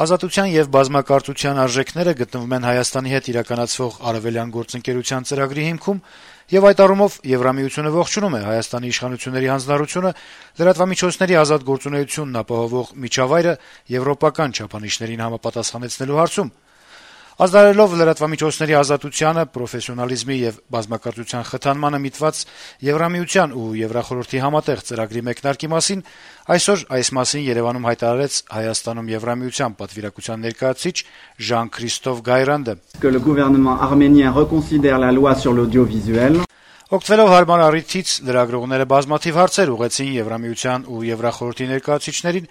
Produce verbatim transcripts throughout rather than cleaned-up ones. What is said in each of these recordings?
Ազատության եւ բազմակարծության արժեքները գտնվում են Հայաստանի հետ իրականացվող արեւելյան գործընկերության ծրագրի հիմքում, եւ այդ առումով Եվրամիությունը ողջունում է Հայաստանի իշխանությունների հանձնառությունը լրատվամիջոցների ազատ գործունեությունն ապահովող միջավայրը եվրոպական չափանիշներին համապատասխանեցնելու հարցում։ Ազդարելով լրատվամիջոցների ազատությանը, պրոֆեսիոնալիզմի եւ բազմակարծության խթանմանը միտված Եվրամիության ու Եվրախորհրդի համատեղ ծրագրի մեկնարկի մասին այսօր այս մասին Երեւանում հայտարարեց Հայաստանում Եվրամիության պատվիրակության ներկայացուցիչ Ժան-Քրիստոֆ Գայրանդը։ Que le gouvernement arménien reconsidère la loi sur l'audiovisuel. Օգտվելով հարմար առիթից լրագրողները բազմաթիվ հարցեր ուղղեցին Եվրամիության ու Եվրախորհրդի ներկայացուցիչներին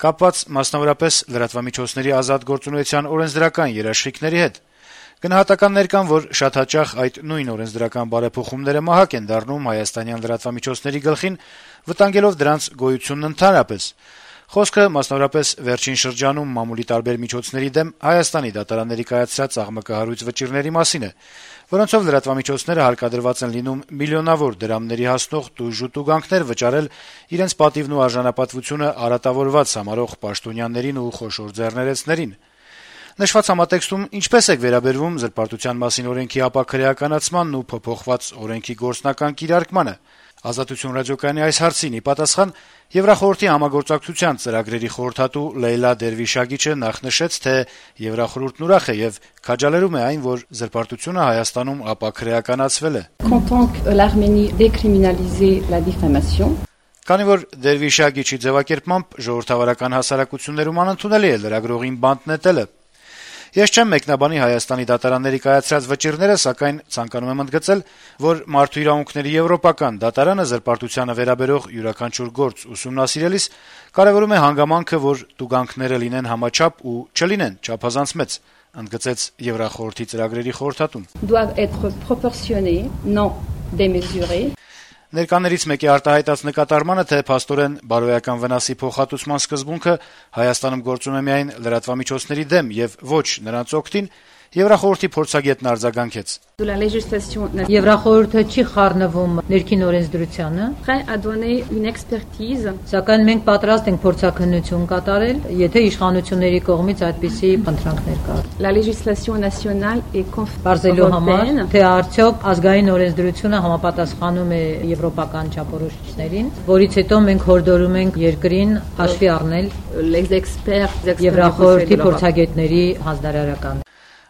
կապված մասնավորապես լրատվամիջոցների ազատ գործունեության օրենսդրական երաշխիքների հետ։ Գնահատականներ կան, որ շատ հաճախ այդ նույն օրենսդրական բարեփոխումները մահակ են դառնում հայաստանյան լրատվամիջոցների գլխին, վտանգելով դրանց գոյությունն ընդհանրապես։ Խոսքը մասնավորապես վերջին շրջանում մամուլի տարբեր միջոցների դեմ Հայաստանի դատարանների կայացրած աղմկահարույց վճիռների մասին է, որոնցով լրատվամիջոցները հարկադրված են լինում միլիոնավոր դրամների հասնող տույժ ու տուգանքներ վճարել իրենց պատիվն ու արժանապատվությունը արատավորված համարող պաշտոնյաներին ու խոշոր ձեռներեցներին։ Նշված համատեքստում ինչպես է վերաբերվում զրպարտության մասին օրենքի ապաքրեականացմանն ու փոփոխված օրենքի գործնական կիրարկմանը։ Ազատություն ռադիոկայանի այս հարցին ի պատասխան Եվրախորհրդի համագործակցության ծրագրերի խորհրդատու Լեյլա Դերվիշագիչը նախ նշեց, թե Եվրախորհուրդն ուրախ է եւ քաջալերում է այն, որ զրպարտությունը Հայաստանում ապաքրեականացվել է։ Content que l'Arménie décriminalise la diffamation. Քանի որ Դերվիշագիչի ձևակերպմամբ ժողովրդավարական հասարակություններում անընդունելի է լրագրողին բանտ նետելը։ Ես չեմ մեկնաբանի Հայաստանի դատարանների կայացրած վճիռները, սակայն ցանկանում եմ ընդգծել, որ Մարդու իրավունքների եվրոպական դատարանը զրպարտությանը վերաբերող յուրաքանչյուր գործ ուսումնասիրելիս կարևորում է հանգամանքը, որ տուգանքները լինեն համաչափ ու չլինեն չափազանց մեծ, ընդգծեց Եվրախորհրդի ծրագրերի խորհրդատուն։ Doivent être proportionnés, non démesurés. Ներկաներից մեկի արտահայտած նկատառմանը, թե փաստորեն բարոյական վնասի փոխհատուցման սկզբունքը Հայաստանում գործում է միայն լրատվամիջոցների դեմ եւ ոչ նրանց օգտին, Եվրախորհրդի փորձագետն արձագանքեց. Եվրախորհուրդը չի խառնվում ներքին օրենսդրությանը, սակայն մենք պատրաստ ենք փորձաքննություն կատարել, եթե իշխանությունների կողմից այդպիսի խնդրանքներ կա։ Բարձելու համար, թե արդյոք ազգային օրենսդրությունը համապատասխանում է եվրոպական չափորոշիչներին, որից հետո մենք հորդորում ենք երկրին հաշվի առնել Եվրախորհրդի փորձագետների հանձնարարականը։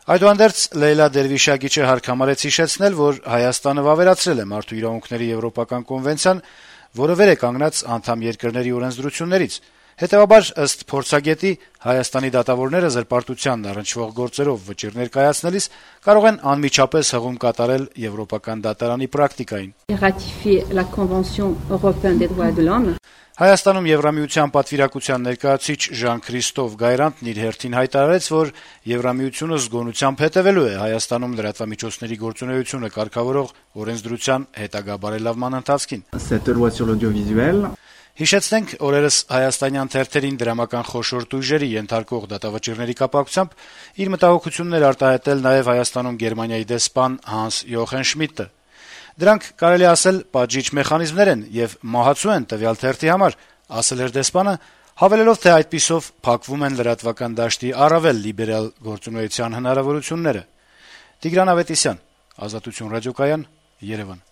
Այդուհանդերձ Լեյլա Դերվիշագիչը հարկ համարեց հիշեցնել, որ Հայաստանը վավերացրել է Մարդու իրավունքների եվրոպական կոնվենցիան, որը վեր է կանգնած անդամ երկրների օրենսդրություններից։ Հետևաբար, ըստ փորձագետի, Հայաստանի դատավորները զրպարտությանն առնչվող գործերով վճիռներ կայացնելիս կարող են անմիջապես հղում կատարել եվրոպական դատարանի պրակտիկային։ Հայաստանում Եվրամիության պատվիրակության ներկայացուցիչ Ժան-Քրիստոֆ Գայրանդն իր հերթին հայտարարեց, որ Եվրամիությունը զգոնությամբ հետևելու է Հայաստանում լրատվամիջոցների գործունեությունը կարգավորող օրենսդրության հետագա բարելավման ընթացքին։ Cette loi sur l'audiovisuel. Հիշեցնենք, օրերս հայաստանյան թերթերին դրամական խոշոր տույժերի ենթարկող դատավճիռների կապակցությամբ իր մտահոգություններ արտահայտել նաև Հայաստանում Գերմանիայի դեսպան Հանս Յոխեն Շմիդտը։ Դրանք կարելի ասել պատժիչ մեխանիզմներ են եւ մահացու են տվյալ թերթի համար, ասել էր դեսպանը, հավելելով, թե այդպիսով փակվում են լրատվական դաշտի առավել լիբերալ գործունեության հնարավորությունները։ Տիգրան Ավետիսյան, Ազատություն ռադիոկայան, Երևան։